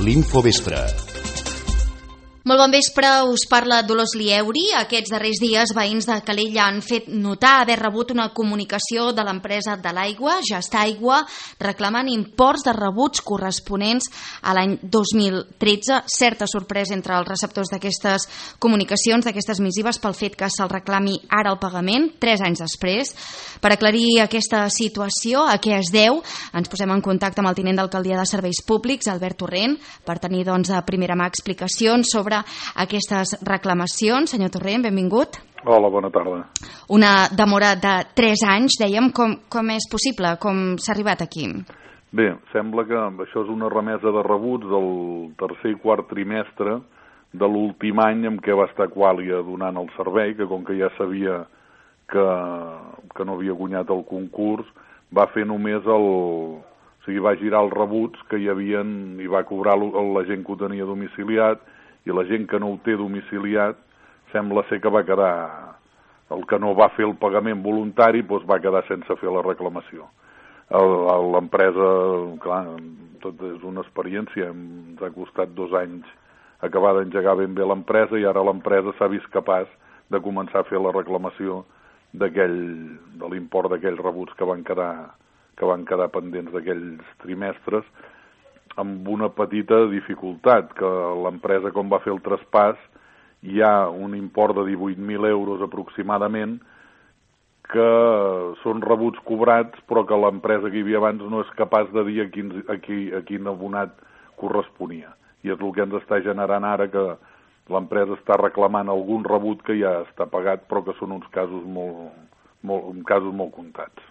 l'Infovespre. Molt bon vespre, us parla Dolors Lieuri. Aquests darrers dies, veïns de Calella han fet notar haver rebut una comunicació de l'empresa de l'aigua, Gestaigua, reclamant imports de rebuts corresponents a l'any 2013. Certa sorpresa entre els receptors d'aquestes comunicacions, d'aquestes missives, pel fet que se'l reclami ara el pagament, 3 anys després. Per aclarir aquesta situació, a què es deu, ens posem en contacte amb el tinent d'alcaldia de Serveis Públics, Albert Torrent, per tenir de primera mà explicacions sobre aquestes reclamacions. Senyor Torrent, benvingut. Hola, bona tarda. Una demora de 3 anys, dèiem. Com és possible? Com s'ha arribat aquí? Bé, sembla que això és una remesa de rebuts del tercer i quart trimestre de l'últim any en què va estar Qualia donant el servei, que com que ja sabia que no havia guanyat el concurs, va fer només o sigui, va girar els rebuts que hi havien i va cobrar la gent que ho tenia domiciliat, i la gent que no ho té domiciliat sembla ser que va quedar, el que no va fer el pagament voluntari doncs va quedar sense fer la reclamació. L'empresa, clar, tot és una experiència, ens ha costat 2 anys acabar d'engegar ben bé l'empresa i ara l'empresa s'ha vist capaç de començar a fer la reclamació de l'import d'aquells rebuts que van quedar pendents d'aquells trimestres, amb una petita dificultat, que l'empresa, com va fer el traspàs, hi ha un import de 18.000 euros aproximadament que són rebuts cobrats, però que l'empresa que hi havia abans no és capaç de dir a quin abonat corresponia. I és el que ens està generant ara, que l'empresa està reclamant algun rebut que ja està pagat, però que són uns casos molt comptats.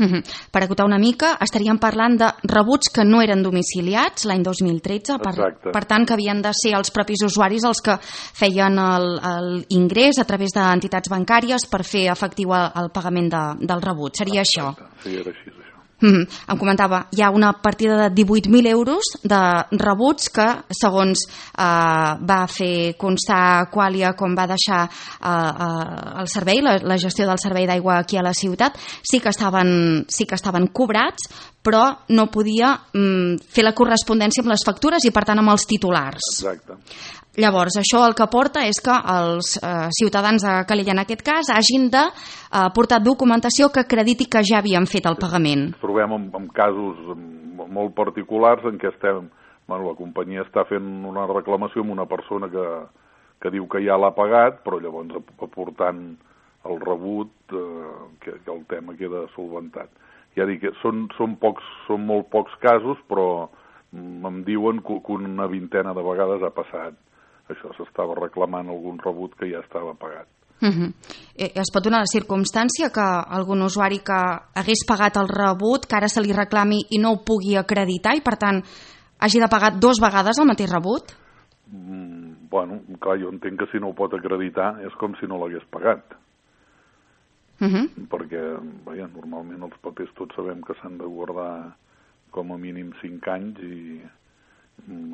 Per acotar una mica, estaríem parlant de rebuts que no eren domiciliats l'any 2013, per tant que havien de ser els propis usuaris els que feien l'ingrés a través d'entitats bancàries per fer efectiu el pagament del rebut. Seria això? Sí, era així, això. Em comentava, hi ha una partida de 18.000 euros de rebuts que, segons va fer constar Qualia com va deixar el servei, la gestió del servei d'aigua aquí a la ciutat, sí que estaven cobrats, però no podia fer la correspondència amb les factures i, per tant, amb els titulars. Exacte. Llavors, això el que porta és que els ciutadans de Calella, en aquest cas, hagin de portar documentació que acrediti que ja havien fet el pagament. Ens trobem en casos molt particulars en què la companyia està fent una reclamació amb una persona que diu que ja l'ha pagat, però llavors aportant el rebut que el tema queda solventat. Ja dic que són molt pocs casos, però em diuen que una vintena de vegades ha passat. Això s'estava reclamant algun rebut que ja estava pagat. Es pot donar la circumstància que algun usuari que hagués pagat el rebut, que ara se li reclami i no ho pugui acreditar i, per tant, hagi de pagar 2 vegades el mateix rebut? Bueno, clar, jo entenc que si no ho pot acreditar és com si no l'hagués pagat. Perquè, normalment els papers tots sabem que s'han de guardar com a mínim 5 anys i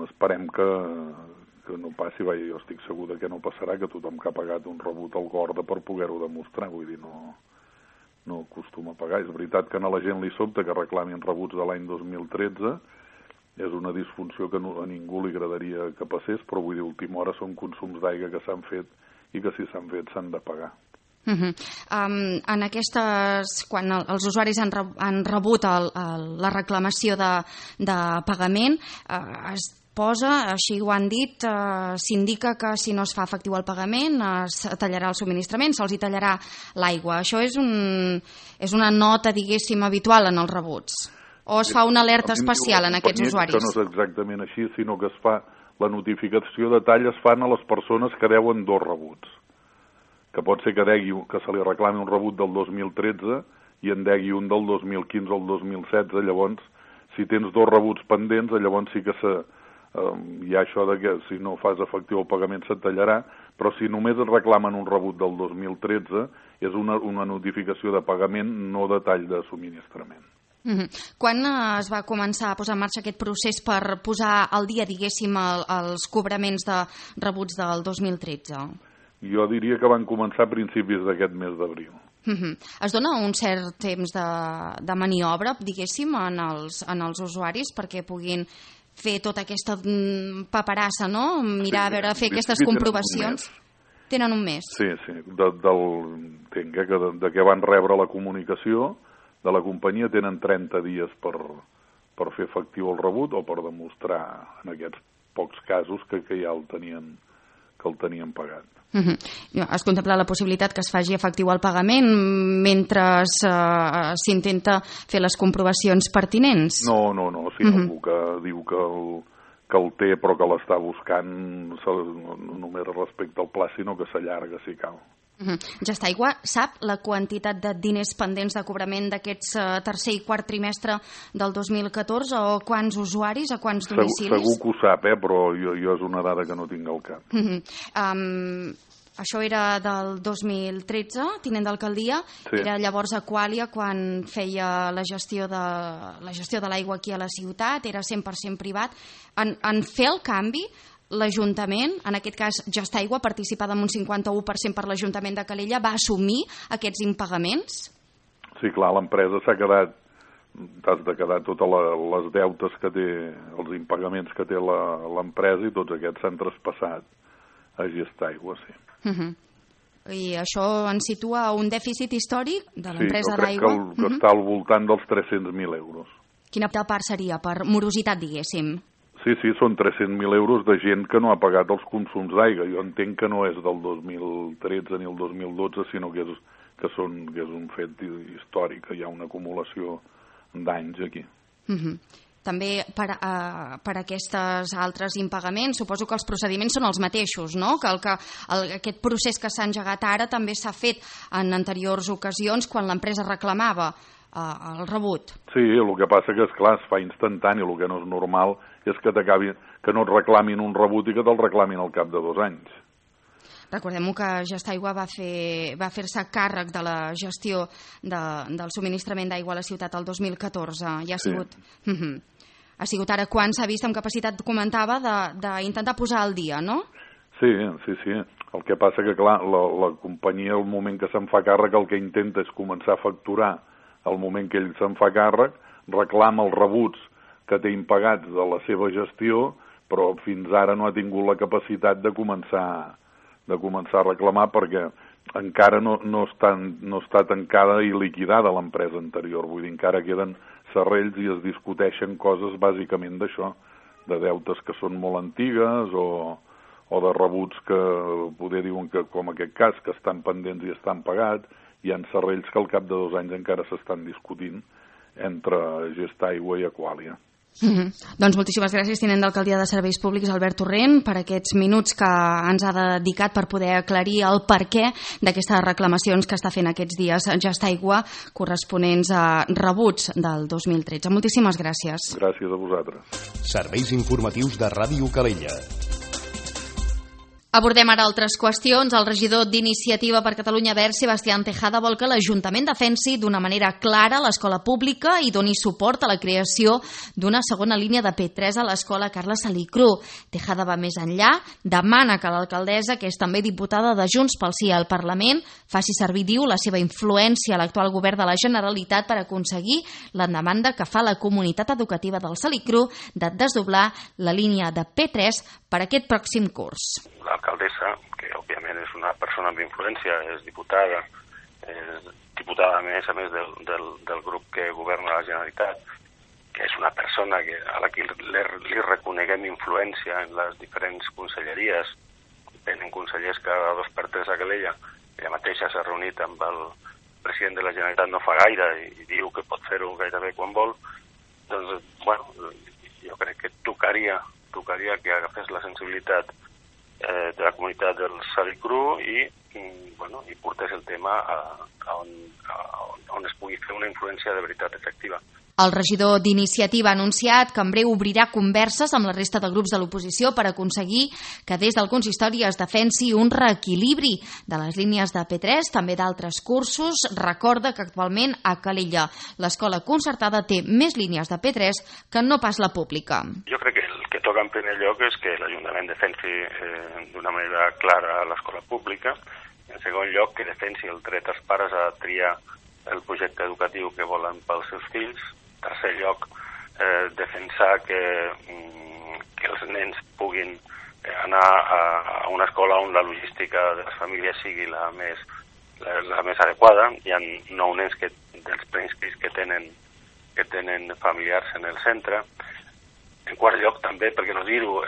esperem que no passi. Jo estic segur que no passarà, que tothom que ha pagat un rebut el guarda per poder-ho demostrar, vull dir, no acostuma a pagar. És veritat que a la gent li sobta que reclamin rebuts de l'any 2013, és una disfunció que a ningú li agradaria que passés, però vull dir, a última hora són consums d'aigua que s'han fet i que si s'han fet s'han de pagar. En aquestes, quan els usuaris han rebut la reclamació de pagament, es posa, així ho han dit, s'indica que si no es fa efectiu el pagament es tallarà el subministrament, se'ls tallarà l'aigua. Això és una nota, diguéssim, habitual en els rebuts? O es fa una alerta especial en aquests usuaris? Això no és exactament així, sinó que es fa la notificació de tall es fan a les persones que deuen 2 rebuts. Que pot ser que se li reclami un rebut del 2013 i en degui un del 2015 o el 2016. Llavors, si tens 2 rebuts pendents, llavors sí que hi ha això de que si no fas efectiu el pagament se't tallarà, però si només et reclamen un rebut del 2013 és una notificació de pagament, no de tall de subministrament. Quan es va començar a posar en marxa aquest procés per posar al dia, diguéssim, els cobraments de rebuts del 2013? Jo diria que van començar a principis d'aquest mes d'abril. Es dona un cert temps de maniobra, diguéssim, en els usuaris perquè puguin fer tota aquesta paperassa, no? Mirar, a veure, fer aquestes comprovacions. Tenen un mes. Sí. Entenc que de què van rebre la comunicació de la companyia tenen 30 dies per fer efectiu el rebut o per demostrar en aquests pocs casos que ja el tenien pagat. Es contempla la possibilitat que es faci efectiu el pagament mentre s'intenta fer les comprovacions pertinents? No. Si algú que diu que el té però que l'està buscant no només respecte al pla, sinó que s'allarga si cal. Gestaigua sap la quantitat de diners pendents de cobrament d'aquests tercer i quart trimestre del 2014 o quants usuaris, a quants domicilis? Segur que ho sap, però jo és una dada que no tinc al cap. Això era del 2013, tinent d'alcaldia. Sí. Era llavors Aquàlia quan feia la gestió de l'aigua aquí a la ciutat, era 100% privat. En fer el canvi, l'Ajuntament, en aquest cas Gestaigua, participada amb un 51% per l'Ajuntament de Calella, va assumir aquests impagaments? Sí, clar, l'empresa t'has de quedar totes les deutes que té, els impagaments que té l'empresa, i tots aquests s'han traspassat a Gestaigua, sí. I això ens situa un dèficit històric de l'empresa d'aigua? Sí, jo crec que està al voltant dels 300.000 euros. Quina part seria, per morositat, diguéssim? Sí, són 300.000 euros de gent que no ha pagat els consums d'aigua. Jo entenc que no és del 2013 ni el 2012, sinó que és un fet històric, que hi ha una acumulació d'anys aquí. També per aquests altres impagaments, suposo que els procediments són els mateixos, no? Que aquest procés que s'ha engegat ara també s'ha fet en anteriors ocasions quan l'empresa reclamava el rebut. Sí, el que passa que, esclar, es fa instantani, el que no és normal és que no et reclamin un rebut i que te'l reclamin al cap de 2 anys. Recordem-ho que Gestaigua va fer-se càrrec de la gestió del subministrament d'aigua a la ciutat el 2014. Ja ha sigut ara quan s'ha vist amb capacitat, comentava, d'intentar posar al dia, no? Sí. El que passa que, clar, la companyia, al moment que se'n fa càrrec, el que intenta és començar a facturar al moment que ell se'n fa càrrec, reclama els rebuts que té impagats de la seva gestió, però fins ara no ha tingut la capacitat de començar a reclamar perquè encara no està tancada i liquidada l'empresa anterior. Vull dir, encara queden serrells i es discuteixen coses bàsicament d'això, de deutes que són molt antigues o de rebuts que poder diuen que, com aquest cas, que estan pendents i estan pagats. Hi ha serrells que al cap de 2 anys encara s'estan discutint entre Gestaigua i Aquàlia. Doncs moltíssimes gràcies, tinent d'alcaldia de Serveis Públics, Albert Torrent, per aquests minuts que ens ha dedicat per poder aclarir el perquè d'aquestes reclamacions que està fent aquests dies Gestaigua corresponents a rebuts del 2013. Moltíssimes gràcies. Gràcies a vosaltres. Serveis informatius de Ràdio Calella. Abordem ara altres qüestions. El regidor d'Iniciativa per Catalunya Verds, Sebastián Tejada, vol que l'Ajuntament defensi d'una manera clara l'escola pública i doni suport a la creació d'una segona línia de P3 a l'escola Carles Salicru. Tejada va més enllà, demana que l'alcaldessa, que és també diputada de Junts pel Sí al Parlament, faci servir, diu, la seva influència a l'actual govern de la Generalitat per aconseguir la demanda que fa la comunitat educativa del Salicru de desdoblar la línia de P3 per aquest pròxim curs. L'alcaldessa, que òbviament és una persona amb influència, és diputada a més del grup que governa la Generalitat, que és una persona a la que li reconeguem influència en les diferents conselleries. Tenen consellers cada 2 per 3 a Calella. Ella mateixa s'ha reunit amb el president de la Generalitat no fa gaire i diu que pot fer-ho gairebé quan vol. Doncs, bueno, jo crec que tocaria que agafés la sensibilitat de la comunitat del Salicru i portés el tema on es pugui fer una influència de veritat efectiva. El regidor d'Iniciativa ha anunciat que en breu obrirà converses amb la resta de grups de l'oposició per aconseguir que des del consistori es defensi un reequilibri de les línies de P3, també d'altres cursos. Recorda que actualment a Calella l'escola concertada té més línies de P3 que no pas la pública. Jo crec que el que toca en primer lloc és que l'Ajuntament defensi d'una manera clara l'escola pública. En segon lloc, que defensi el dret als pares a triar el projecte educatiu que volen pels seus fills. En tercer lloc, defensar que que els nens puguin anar a una escola on la logística de les famílies sigui la més adequada. Hi ha 9 nens dels preinscrits que tenen familiars en el centre. En quart lloc, també, per què no dir-ho,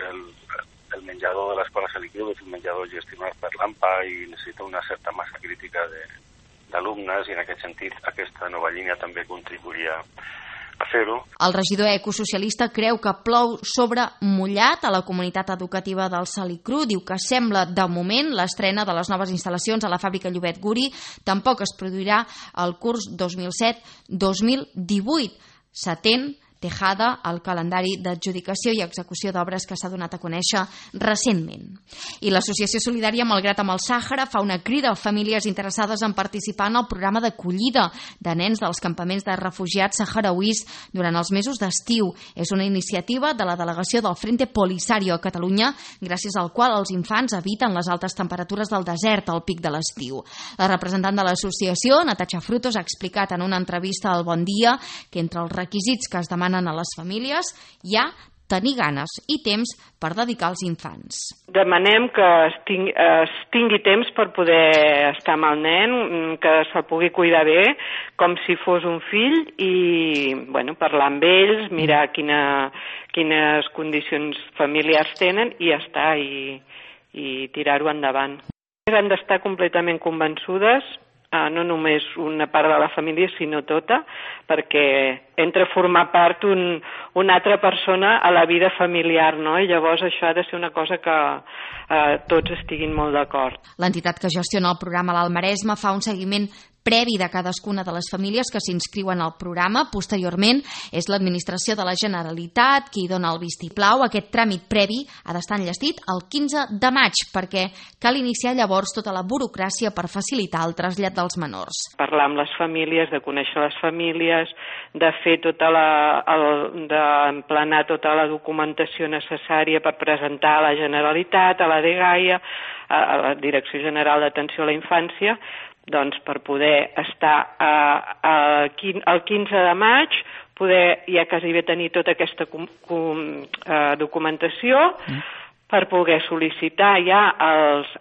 el menjador de l'escola Salicru és un menjador gestionat per l'AMPA i necessita una certa massa crítica d'alumnes, i en aquest sentit aquesta nova línia també contribuiria a fer-ho. El regidor ecosocialista creu que plou sobre mullat a la comunitat educativa del Salicru. Diu que sembla, de moment, l'estrena de les noves instal·lacions a la fàbrica Llobet Guri tampoc es produirà el curs 2017-2018. S'atén Tejada al calendari d'adjudicació i execució d'obres que s'ha donat a conèixer recentment. I l'Associació Solidària Malgrat amb el Sàhara fa una crida a famílies interessades en participar en el programa d'acollida de nens dels campaments de refugiats saharauís durant els mesos d'estiu. És una iniciativa de la delegació del Frente Polisario a Catalunya, gràcies al qual els infants eviten les altes temperatures del desert al pic de l'estiu. La representant de l'associació, Natasha Frutos, ha explicat en una entrevista al Bon Dia que entre els requisits que es demanen a les famílies hi ha tenir ganes i temps per dedicar als infants. Demanem que es tingui temps per poder estar amb el nen, que se'l pugui cuidar bé, com si fos un fill, i parlar amb ells, mirar quines condicions familiars tenen i ja està, i tirar-ho endavant. Han d'estar completament convençudes, no només una part de la família, sinó tota, perquè entra a formar part una altra persona a la vida familiar, no? I llavors això ha de ser una cosa que tots estiguin molt d'acord. L'entitat que gestiona el programa a l'Alt Maresme fa un seguiment previ de cadascuna de les famílies que s'inscriuen al programa. Posteriorment, és l'Administració de la Generalitat qui dona el vistiplau. Aquest tràmit previ ha d'estar enllestit el 15 de maig, perquè cal iniciar llavors tota la burocràcia per facilitar el trasllat dels menors. Parlar amb les famílies, de conèixer les famílies, de fer d'emplenar tota la documentació necessària per presentar a la Generalitat, a la DGAIA, a la Direcció General d'Atenció a la Infància, doncs per poder estar el 15 de maig, poder ja quasi bé tenir tota aquesta documentació per poder sol·licitar ja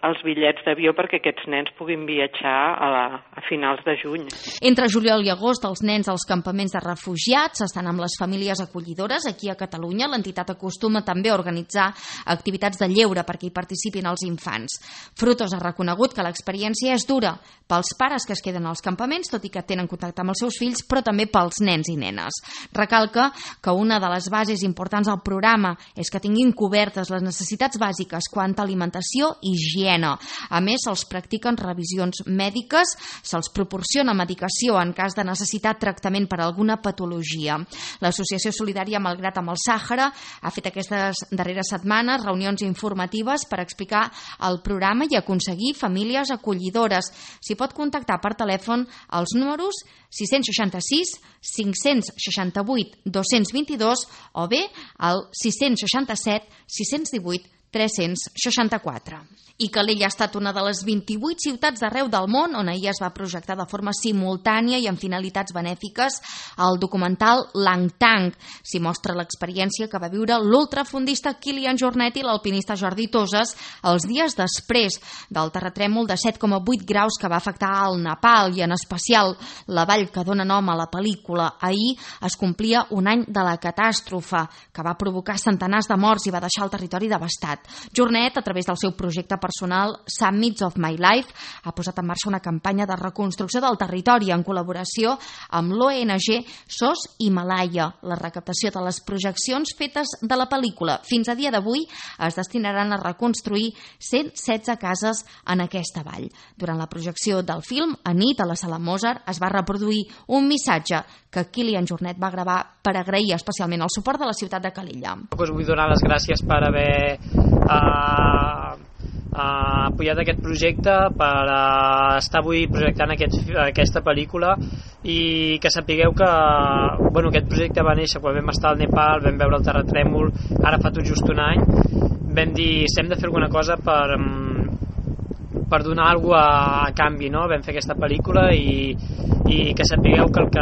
els bitllets d'avió perquè aquests nens puguin viatjar a finals de juny. Entre juliol i agost, els nens als campaments de refugiats estan amb les famílies acollidores. Aquí a Catalunya l'entitat acostuma també a organitzar activitats de lleure perquè hi participin els infants. Frutos ha reconegut que l'experiència és dura pels pares que es queden als campaments, tot i que tenen contacte amb els seus fills, però també pels nens i nenes. Recalca que una de les bases importants del programa és que tinguin cobertes les necessitats bàsiques quant a alimentació i higiene. A més, se'ls practiquen revisions mèdiques, se'ls proporciona medicació en cas de necessitat tractament per alguna patologia. L'Associació Solidària Malgrat amb el Sàhara ha fet aquestes darreres setmanes reunions informatives per explicar el programa i aconseguir famílies acollidores. S'hi pot contactar per telèfon als números 666 568 222 o bé al 667 618 364. I Calella ha estat una de les 28 ciutats d'arreu del món on ahir es va projectar de forma simultània i amb finalitats benèfiques el documental Langtang. S'hi mostra l'experiència que va viure l'ultrafondista Kilian Jornet i l'alpinista Jordi Toses els dies després del terratrèmol de 7,8 graus que va afectar el Nepal i en especial la vall que dona nom a la pel·lícula. Ahir es complia un any de la catàstrofe que va provocar centenars de morts i va deixar el territori devastat. Jornet, a través del seu projecte personal Summits of My Life, ha posat en marxa una campanya de reconstrucció del territori en col·laboració amb l'ONG SOS Himalaya. La recaptació de les projeccions fetes de la pel·lícula fins a dia d'avui es destinaran a reconstruir 116 cases en aquesta vall. Durant la projecció del film, a nit, a la Sala Mozart, es va reproduir un missatge que Kilian Jornet va gravar per agrair especialment el suport de la ciutat de Calella. Vull donar les gràcies per haver apoyat aquest projecte, per estar avui projectant aquesta pel·lícula, i que sapigueu que aquest projecte va néixer quan vam estar al Nepal, vam veure el terratrèmol, ara fa tot just un any. Vam dir, si hem de fer alguna cosa per donar alguna cosa a canvi, no? Vam fer aquesta pel·lícula i que sapigueu que el que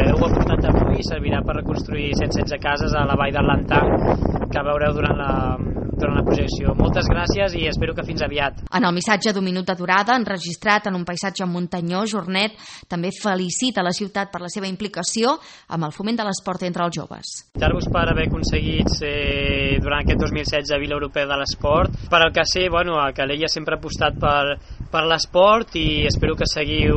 heu aportat avui servirà per reconstruir 116 cases a la vall del Langtang, que veureu durant la projecció. Moltes gràcies i espero que fins aviat. En el missatge d'un minut de durada, enregistrat en un paisatge muntanyós, Jornet també felicita la ciutat per la seva implicació amb el foment de l'esport entre els joves. Felicitar-vos per haver aconseguit durant aquest 2016 Vila Europea de l'Esport. Per al que sé, a Calella sempre ha apostat per l'esport i espero que seguiu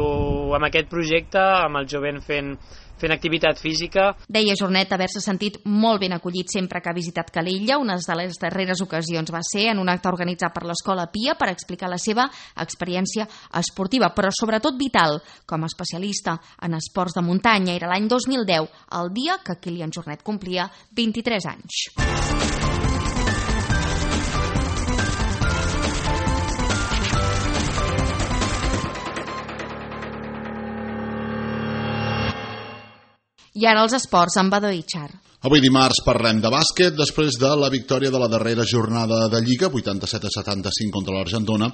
amb aquest projecte, amb el jovent fent activitat física. Deia Jornet haver-se sentit molt ben acollit sempre que ha visitat Calella. Una de les darreres ocasions va ser en un acte organitzat per l'Escola Pia per explicar la seva experiència esportiva, però sobretot vital, com a especialista en esports de muntanya. Era l'any 2010, el dia que Kilian Jornet complia 23 anys. I ara els esports amb Badó Itxar. Avui dimarts parlem de bàsquet. Després de la victòria de la darrera jornada de Lliga, 87-75 contra l'Argentona,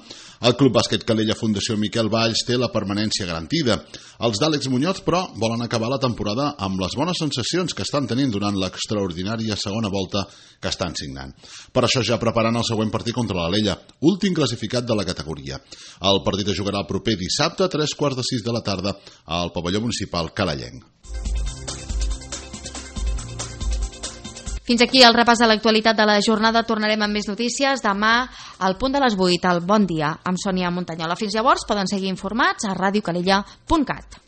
el Club Bàsquet Calella Fundació Miquel Valls té la permanència garantida. Els d'Àlex Muñoz, però, volen acabar la temporada amb les bones sensacions que estan tenint durant l'extraordinària segona volta que estan signant. Per això ja preparant el següent partit contra l'Alella, últim classificat de la categoria. El partit es jugarà el proper dissabte a 3:45 de la tarda al pavelló municipal calellenc. Fins aquí el repàs de l'actualitat de la jornada. Tornarem amb més notícies demà al punt de les 8 al Bon Dia amb Sònia Montanyola. Fins llavors poden seguir informats a radiocalella.cat.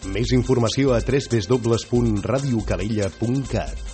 Més informació a www.radiocalella.cat.